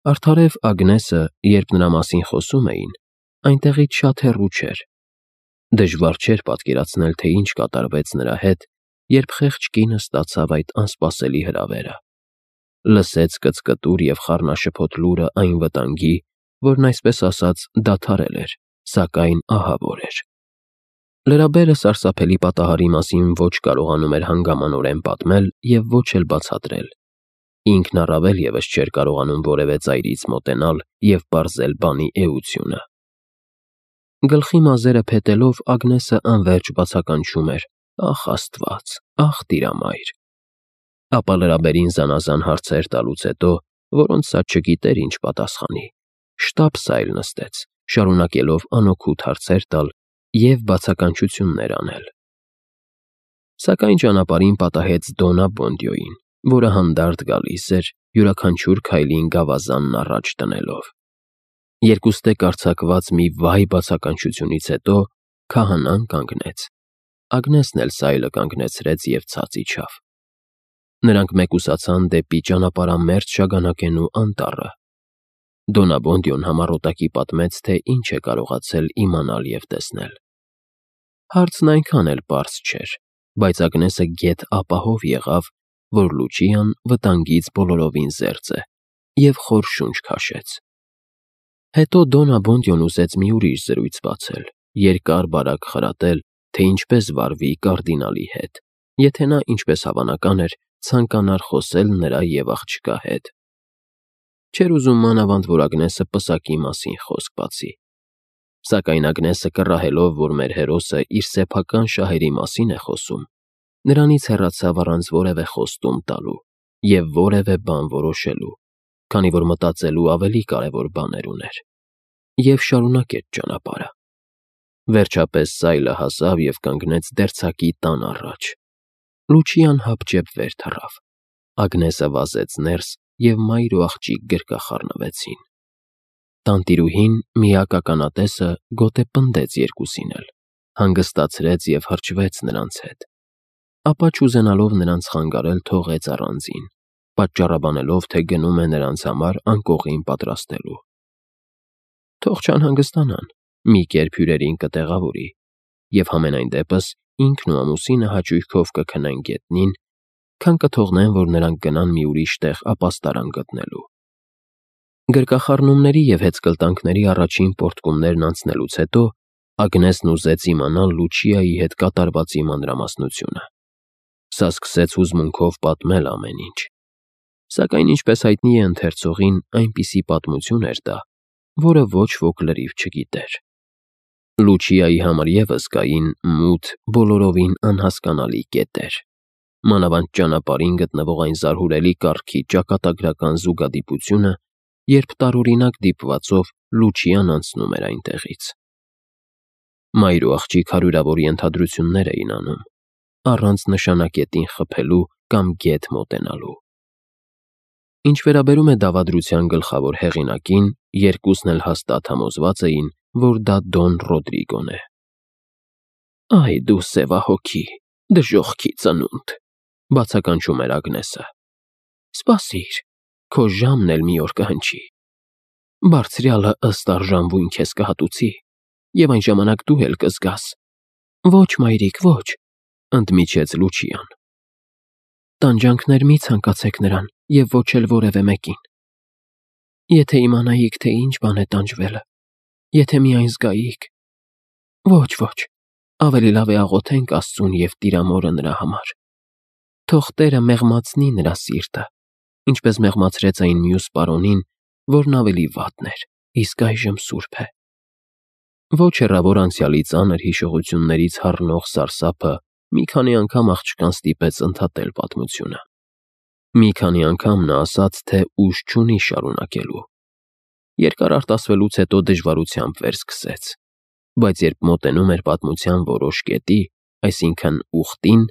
Արդարև Ագնեսը, երբ նրա մասին խոսում էին, այնտեղից շատ հեռու չէր։ Դժվար չէր պատկերացնել, թե ինչ կատարվեց նրա հետ, երբ խեղճ կինը ստացավ այդ անսպասելի հրավերը։ Լսեց կծկտուր և խառնաշփոթ լուրը այն վտանգի, որն այսպես ասած դադարել էր, սակայն ահավոր էր։ Լրաբերը սարսափելի պատահարի մասին ոչ կարողանում էր հանգամանորեն պատմել և ոչ էլ բացատրել։ Ինքն առավել ևս չէր կարողանում որևէ ծայրից մոտենալ և պարզել բանի էությունը։ Գլխի մազերը փետելով Ագնեսը անվերջ բացականչում էր. «Ախ Աստված, ախ Տիրամայր»։ Ապա լրաբերին զանազան հարցեր տալուց հետո, որոնց սա չգիտեր ինչ պատասխանի, շտապ-սայլ նստեց, շարունակելով անօգուտ հարցեր տալ և բացականչություններ անել։ Սակայն ճանապարհին պատահեց Դոննա Բոնդիոին, որը հանդարտ գալիս էր, յուրաքանչյուր քայլին գավազանն առաջ դնելով։ Երկուստեք արձակված մի վայ բացականչությունից հետո քահանան կանգնեց։ Ագնեսն էլ սայլը կանգնեցրեց և ցած իջավ։ Նրանք մեկուսացան դեպի ճանապարհամերձ շագանակենու անտառը։ Դոննա Բոնդիոն համառոտակի պատմեց, թե ինչ է կարողացել իմանալ և տեսնել։ Հարցն այնքան էլ պարզ չէր, բայց Ագնեսը գեթ ապահով եղավ, որ Լուչիան վտանգից բոլորովին զերծ է, և խոր շունչ քաշեց։ Հետո Դոննա Բոնդիոն ուզեց մի ուրիշ զրույց բացել, երկար-բարակ խրատել, թե ինչպես վարվի կարդինալի հետ, եթե նա, ինչպես հավանական էր, ցանկանար խոսել նրա և աղջկա հետ։ Չէր ուզում մանավանդ, որ Ագնեսը պսակի մասին խոսք բացի։ Սակայն Ագնեսը կռահելով, որ մեր հերոսը իր սեփական շահերի մասին է խոսում, նրանից հեռացավ առանց որևէ խոստում տալու և որևէ բան որոշելու, քանի որ մտածելու ավելի կարևոր բաներ ուներ, և շարունակեց ճանապարհը։ Վերջապես սայլը հասավ և կանգնեց դերձակի տան առաջ։ Լուչիան հապճեպ վեր թռավ։ Ագնեսը վազեց ներս, և մայր ու աղջիկ գրկախառնվեցին։ Տանտիրուհին, միակ ականատեսը, գոտե պնդեց երկուսին էլ, հանգստացրեց և հրճվեց նրանց հետ։ Ապա չուզենալով նրանց խանգարել, թողեց առանձին, պատճառաբանելով, թե գնում է նրանց համար անկողին պատրաստելու։ Թող չանհանգստանան, մի կերպ հյուրերին կտեղավորի, և համենայն դեպս ինքն ու ամուսինը հաճույքով կքնեն գետնին, քան կթողնեն, որ նրանք գնան մի ուրիշ տեղ ապաստարան գտնելու։ Գրկախառնումների և հեծկլտանքների առաջին պոռթկումներն անցնելուց հետո Ագնեսն ուզեց իմանալ Լուչիայի հետ կատարվածի մանրամասնությունը։ Սա սկսեց հուզմունքով պատմել ամեն ինչ։ Սակայն, ինչպես հայտնի է ընթերցողին, այնպիսի պատմություն էր դա, որը ոչ ոք լրիվ չգիտեր։ Լուչիայի համար ևս կային մութ, բոլորովին անհասկանալի կետեր։ Մանավանդ ճանապարհին գտնվող այն զարհուրելի կառքի ճակատագրական զուգադիպությունը, երբ տարօրինակ դիպվածով Լուչիան անցնում էր այնտեղից։ Մայր ու աղջիկ հարյուրավոր ենթադրություններ էին անում, առանց նշանակետին խփելու կամ գեթ մոտենալու։ Ինչ վերաբերում է դավադրության գլխավոր հեղինակին, երկուսն էլ հաստատ համոզված էին, որ դա Դոն Ռոդրիգոն է։ «Այ դու սևահոգի, դժոխքի ծնունդ», բացականչում էր Ագնեսը։ «Սպասիր, քո ժամն էլ մի օր կհնչի։ Բարձրյալը ըստ արժանվույն քեզ կհատուցի, և այն ժամանակ դու էլ կզգաս»։ «Ոչ, մայրիկ, ոչ», ընդմիջեց Լուչիան։ «Տանջանքներ մի ցանկացեք նրան և ոչ էլ որևէ մեկին։ Եթե իմանայիք, թե ինչ բան է տանջվելը, եթե միայն զգայիք… Ոչ, ոչ, ավելի լավ է աղոթենք Աստծուն և Տիրամորը նրա համար։ Թող Տերը մեղմացնի նրա սիրտը, ինչպես մեղմացրեց այն մյուս պարոնին, որն ավելի վատն էր, իսկ այժմ սուրբ է»։ Ոչ հեռավոր անցյալի ծանր հիշողություններից հառնող սարսափը մի քանի անգամ աղջկան ստիպեց ընդհատել պատմությունը։ Մի քանի անգամ նա ասաց, թե ուժ չունի շարունակելու։ Երկար արտասվելուց հետո դժվարությամբ վերսկսեց, բայց երբ մոտենում էր պատմության որոշ կետի, այսինքն ուխտին,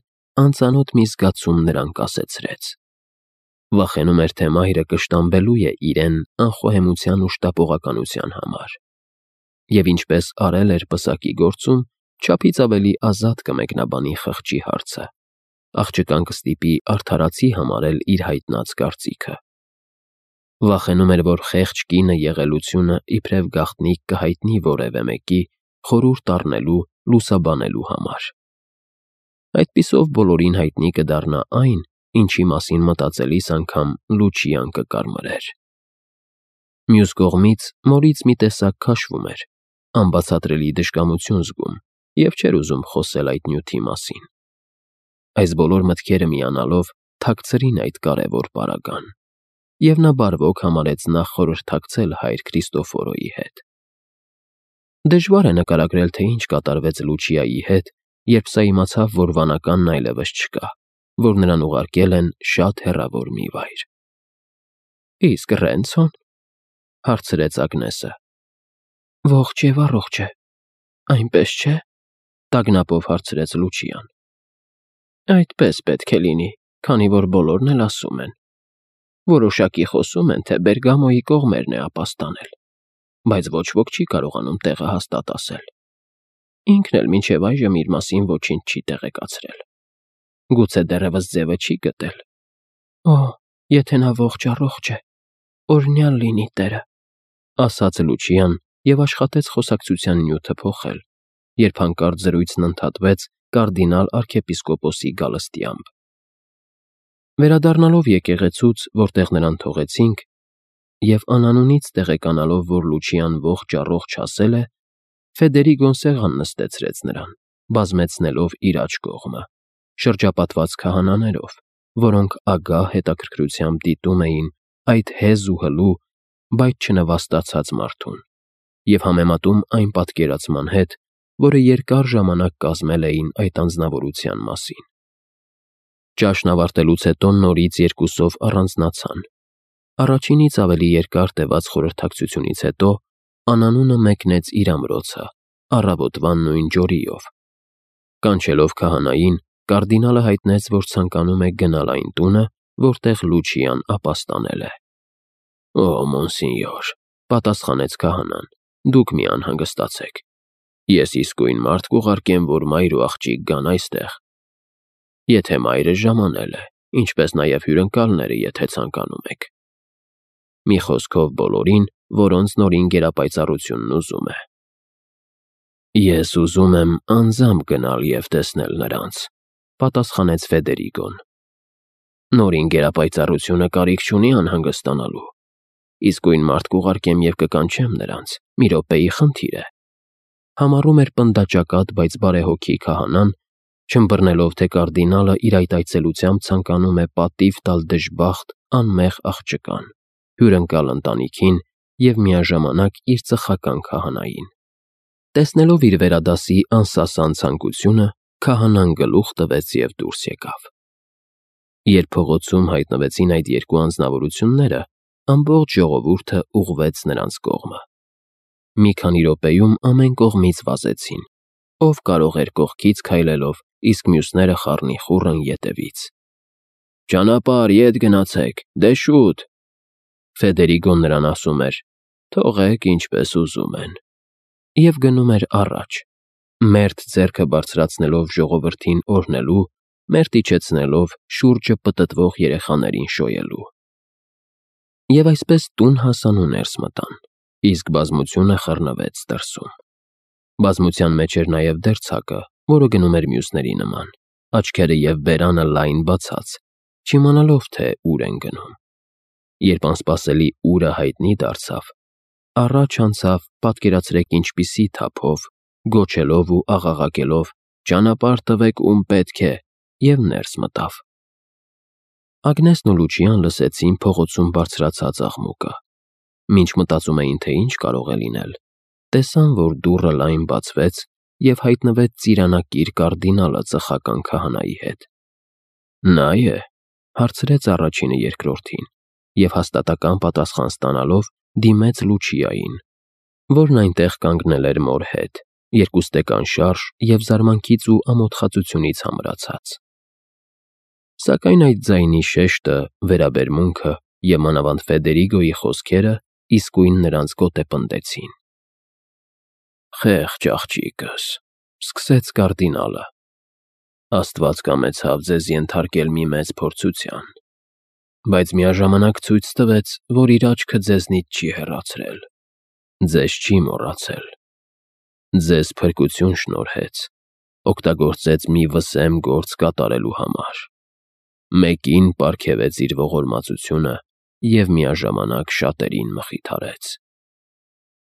անծանոթ մի զգացում նրան կասեցրեց։ Վախենում էր, թե մայրը կշտամբելու է իրեն անխոհեմության ու շտապողականության համար։ Եվ ինչպես արել էր պսակի գործում, չափից ավելի ազատ կմեկնաբանի խղճի հարցը։ Աղջկան կստիպի արդարացի համարել իր հայտնած կարծիքը։ Վախենում էր, որ խեղճ կինը եղելությունը իբրև գաղտնիք կհայտնի որևէ մեկի խորհուրդ առնելու, լուսաբանելու համար։ Այդպիսով բոլորին հայտնի կդառնա այն, ինչի մասին մտածելիս անգամ Լուչիան կկարմրեր։ Մյուս կողմից Մորից մի տեսակ քաշվում էր, անբացատրելի դժկամություն զգում և չէր ուզում խոսել այդ նյութի մասին։ Այս բոլոր մտքերը միանալով թաքցրին այդ կարևոր պարագան, և նա բարվոք համարեց նախ խորհրդակցել հայր Քրիստոֆորոյի հետ։ Դժվար է նկարագրել, թե ինչ կատարվեց Լուչիայի հետ, երբ սա իմացավ, որ վանականն այլևս չկա, որ նրան ուղարկել են շատ հեռավոր մի վայր։ «Իսկ Ռենցո՞ն», հարցրեց Ագնեսը։ «Ողջ և առողջ է, այնպես չէ՞», տագնապով հարցրեց Լուչիան։ «Այդպես պետք է լինի, քանի որ բոլորն էլ ասում են։ Որոշակի խոսում են, թե Բերգամոյի կողմերն է ապաստանել, բայց ոչ ոք չի կարողանում տեղը հաստատ ասել։ Ինքն էլ մինչև այժմ իր մասին ոչինչ չի տեղեկացրել։ Գուցե դեռևս ձևը չի գտել։ Օ, եթե նա ողջ է, օրհնյալ լինի Տերը», ասաց Լուչիան և աշխատեց խոսակցության նյութը փոխել, երբ հանկարծ զրույցն ընդհատվեց կարդինալ արքեպիսկոպոսի գալստյամբ։ Վերադառնալով եկեղեցուց, որտեղ նրան թողեցինք, և անանունից տեղեկանալով, որ Լուչիան ողջ ասել է, Ֆեդերիգոն սեղան նստեցրեց նրան, բազմեցնելով իր աջ կողմը, շրջապատված քահանաներով, որոնք ագահ հետաքրքրությամբ դիտում էին այդ հեզ ու հլու, բայց չնվաստացած մարդուն, և համեմատում այն պատկերացման հետ, որը երկար ժամանակ կազմել էին այդ անձնավորության մասին։ Ճաշն ավարտելուց հետո նորից երկուսով առանձնացան։ Առաջինից ավելի երկար տևած խորհրդակցությունից հետո անանունը մեկնեց իր ամրոցը, առավոտվան նույն ջորիով։ Կանչելով քահանային, կարդինալը հայտնեց, որ ցանկանում է գնալ այն տունը, որտեղ Լուչիան ապաստանել է։ «Օ, մոնսինյոր», պատասխանեց քահանան, «դուք մի անհանգստացեք։ Ես իսկույն մարդ կուղարկեմ, որ մայր ու աղջիկ գան այստեղ։ Եթե մայրը ժամանել է, ինչպես նաև հյուրընկալները, եթե ցանկանում եք։ Մի խոսքով բոլորին, որոնց նորին գերապայծառությունն ուզում է»։ «Ես ուզում եմ անձամբ գնալ և տեսնել նրանց», պատասխանեց Ֆեդերիգոն։ «Նորին գերապայծառությունը կարիք չունի անհանգստանալու։ Իսկույն մարդ կուղարկեմ և կկանչեմ նրանց, մի րոպեի խնդիր է», համառում էր պնդաճակատ, բայց բարեհոգի քահանան, չըմբռնելով, թե կարդինալը իր այդ այցելությամբ ցանկանում է պատիվ տալ դժբախտ, անմեղ աղջկան, հյուրընկալ ընտանիքին և միաժամանակ իր ծխական քահանային։ Տեսնելով իր վերադասի անսասան ցանկությունը, քահանան գլուխ տվեց և դուրս եկավ։ Երբ փողոցում հայտնվեցին այդ երկու անձնավորությունները, ամբողջ ժողովուրդը ուղղվեց նրանց կողմը։ Մի քանի րոպեում ամեն կողմից վազեցին, ով կարող էր կողքից քայլելով, իսկ մյուսները խառնիխուռն ետևից։ «Ճանապարհ, ետ գնացեք, դե շուտ», Ֆեդերիգոն նրան ասում էր, «թողեք ինչպես ուզում են», և գնում էր առաջ, մերթ ձեռքը բարձրացնելով ժողովրդին օրհնելու, մերթ իջեցնելով շուրջը պտտվող երեխաներին շոյելու։ Եվ այսպես տուն հասան ու ներս մտան, իսկ բազմությունը խռնվեց դրսում։ Բազմության մեջ էր նաև դերձակը, որը գնում էր մյուսների նման, աչքերը և բերանը լայն բացած, չիմանալով, թե ուր են գնում։ Երբ անսպասելիուրը հայտնի դարձավ, առաջ անցավ, պատկերացրեք ինչպիսի թափով, գոչելով ու աղաղակելով. «Ճանապարհ տվեք, ում պետք է», և ներս մտավ։ Ագնեսն ու Լուչիան լսեցին փողոցում բարձրացած աղմուկը։ Մինչ մտածում էին, թե ինչ կարող է լինել, տեսան, որ դուռը լայն բացվեց և հայտնվեց ծիրանակիր կարդինալը ծխական քահանայի հետ։ «Նա է», հարցրեց առաջինը երկրորդին, և հաստատակամ պատասխան ստանալով դիմեց Լուչիային, որն այնտեղ կանգնել էր մոր հետ, երկուստեք անշարժ և զարմանքից ու ամոթխածությունից ամրացած։ Սակայն այդ ձայնի շեշտը, վերաբերմունքը և մանավանդ Ֆեդերիգոյի խոսքերը իսկույն նրանց գոտեպնդեցին։ «Խեղճ աղջիկս», սկսեց կարդինալը, «Աստված կամեցավ ձեզ ենթարկել մի մեծ փորձության։ բայց միաժամանակ ցույց տվեց, որ իր աչքը ձեզնից չի հեռացրել, ձեզ չի մոռացել, ձեզ փրկություն շնորհեց, օգտագործեց մի վսեմ գործ կատարելու համար, մեկին պարգևեց իր ողորմածությունը և միաժամանակ շատերին մխիթարեց։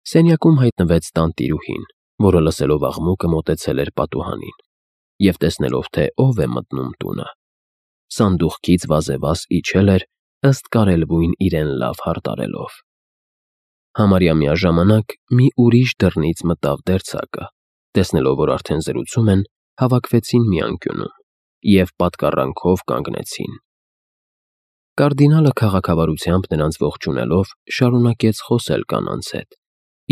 Սենյակում հայտնվեց տանտիրուհին, որը լսելով աղմուկը մոտեցել էր պատուհանին և տեսնելով, թե ով է մտնում տունը, սանդուղքից վազևազ իջել էր, ըստ կարելույն իրեն լավ հարդարելով։ Համարյա միաժամանակ մի ուրիշ դռնից մտավ դերձակը, տեսնելով, որ արդեն զրուցում են, հավաքվեցին մի անկյունում և պատկառանքով կանգնեցին։ Կարդինալը քաղաքավարությամբ նրանց ողջունելով, շարունակեց խոսել կանանց հետ,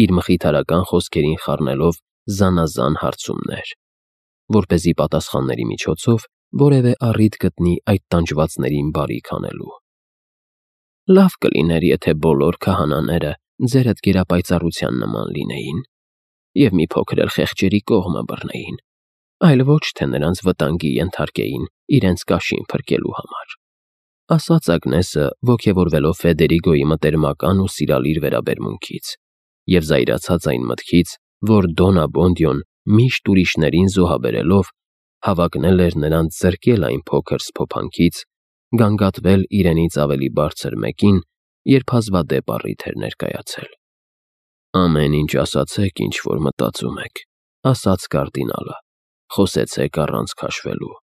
իր մխիթարական խոսքերին խառնելով զանազան հարցումներ, որպեսզի պատասխանների միջոցով որևէ առիթ գտնի այդ տանջվածներին բարիք անելու։ Լավ կլիներ, եթե բոլոր քահանաները ձերդ գերապայծառության նման լինեին և մի փոքր էլ խեղճերի կողմը բռնեին, այլ ոչ թե նրանց վտանգի ենթարկեին իրենց կաշին փրկելու համար, ասաց Ագնեսը, ոգևորվելով Ֆեդերիգոյի մտերմական ու սիրալիր վերաբերմունքից և զայրացած այն մտքից, որ Դոն Աբոնդիոն միշտ ուրիշներին զոհաբերելով հավակնել էր նրանց զրկել այն փոքր սփոփանքից, գանգատվել իրենից ավելի բարձր մեկին, երբ հազվադեպ առիթ էր ներկայացել։ Ամեն ինչ ասացեք, ինչ որ մտածում եք, ասաց կարդինալը, խոսեցեք առանց քաշվելու։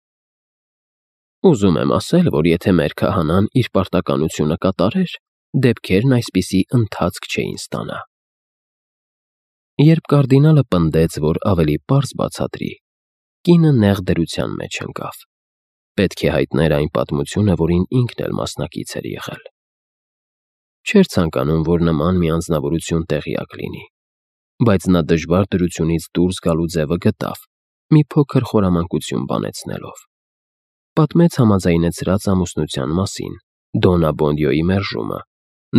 Ուզում եմ ասել, որ եթե մեր քահանան իր պարտականությունը կատարեր, դեպքերն այսպիսի ընթացք չէին ստանա։ Երբ կարդինալը պնդեց, որ ավելի պարզ բացատրի, կինը նեղ դրության մեջ ընկավ։ Պետք է հայտներ այն պատմությունը, որին ինքն էլ մասնակից էր եղել։ Չէր ցանկանում, որ նման մի անձնավորություն տեղյակ լինի, բայց նա դժվար դրությունից դուրս գալու ձևը գտավ, մի փոքր խորամանկություն բանեցնելով։ Պատմեց համաձայնեցրած ամուսնության մասին, Դոն Աբոնդիոյի մերժումը,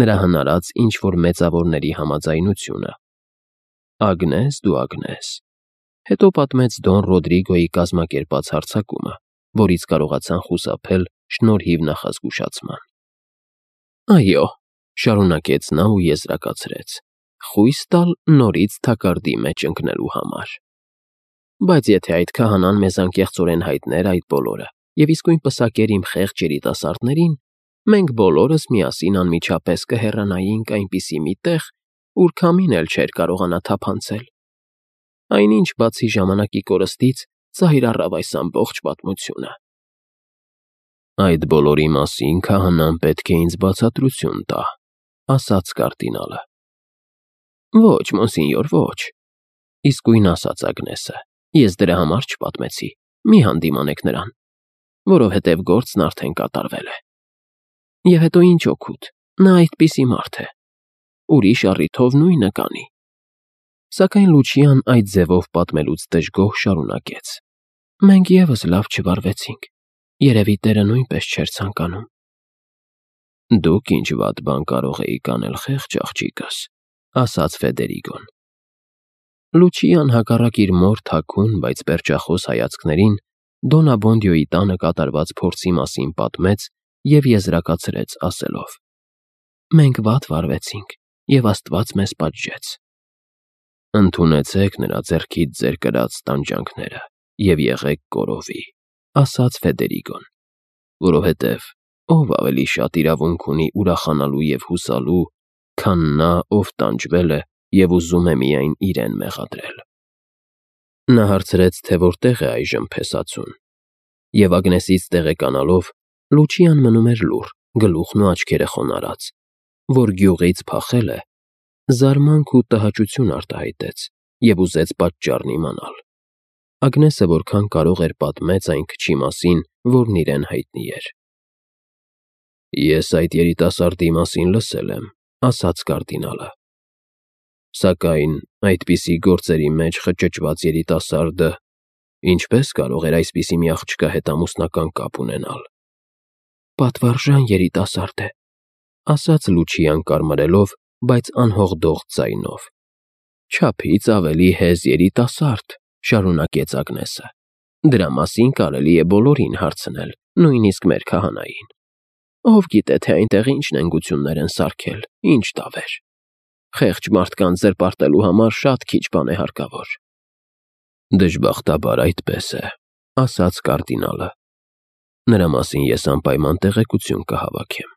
նրա հնարած ինչ-որ մեծավորների համաձայնությունը։ Ագնես, դու Ագնես։ Հետո պատմեց Դոն Ռոդրիգոյի կազմակերպած հարձակումը, որից կարողացան խուսափել շնորհիվ նախազգուշացման։ Այո, շարունակեց նա ու եզրակացրեց, խույս տալ նորից թակարդի մեջ ընկնելու համար։ Բայց եթե այդ քահանան մեզ անկեղծորեն հայտներ այդ բոլորը և իսկույն պսակեր իմ խեղճ երիտասարդներին, մենք բոլորս միասին անմիջապես կհեռանայինք այնպիսի մի տեղ, ուր քամին էլ չէր կարողանա թափանցել։ Այնինչ, բացի ժամանակի կորստից, ծայր առավ այս ամբողջ պատմությունը։ Այդ բոլորի մասին քահանան պետք է ինձ բացատրություն տա, ասաց կարդինալը։ Ոչ, մոնսինյոր, ոչ, իսկույն ասաց Ագնեսը, ես դրա համար չպատմեցի, մի հանդիմանեք նրան, որովհետև գործն արդեն կատարվել է։ Եվ հետո ինչ օգուտ, նա այդպիսի մարդ է, ուրիշ առիթով նույնը կանի։ Սակայն Լուչիան այդ ձևով պատմելուց դժգոհ շարունակեց. Մենք ևս լավ չվարվեցինք, երևի Տերը նույնպես չէր ցանկանում։ Դուք ինչ վատ բան կարող էիք անել, խեղճ աղջիկս, ասաց Ֆեդերիգոն։ Լուչիան հակառակ իր մոր թաքուն, բայց պերճախոս հայացքներին Դոն Աբոնդիոյի տանը կատարված փորձի մասին պատմեց և եզրակացրեց ասելով. Մենք վատ վարվեցինք, և Աստված մեզ պատժեց։ Ընդունեցեք նրա ձեռքից ձեր կրած տանջանքները և եղեք կորովի, ասաց Ֆեդերիգոն, որովհետև ով ավելի շատ իրավունք ունի ուրախանալու և հուսալու, քան նա, ով տանջվել է և ուզում է միայն իրեն մեղադրել։ Նա հարցրեց, թե որտեղ է այժմ փեսացուն, և Ագնեսից տեղեկանալով, Լուչիան մնում էր լուռ, գլուխն ու աչքերը խոնարհած, որ գյուղից փախել է, զարմանք ու տհաճություն արտահայտեց և ուզեց պատճառն իմանալ։ Ագնեսը որքան կարող էր պատմեց այն քչի մասին, որն իրեն հայտնի էր։ Ես այդ երիտասարդի մասին լսել եմ, ասաց կարդինալը։ Սակայն այդպիսի գործերի մեջ խճճված երիտասարդը ինչպես կարող էր այսպիսի մի աղջկա հետ ամուսնական կապ ունենալ։ Պատվարժան երիտասարդ է, ասաց Լուչիան կարմրելով, բայց անհողդող ձայնով։ Չափից ավելի հեզ երիտասարդ, շարունակեց Ագնեսը։ Դրա մասին կարելի է բոլորին հարցնել, նույնիսկ մեր քահանային։ Ով գիտե, թե այնտեղ ինչ նենգություններ են սարքել, ինչ դավեր։ Խեղճ մարդկանց զրպարտելու համար շատ քիչ բան է հարկավոր։ Դժբախտաբար այդպես է, ասաց կարդինալը։ Նրա մասին ես անպայման տեղեկություն կհավաքեմ։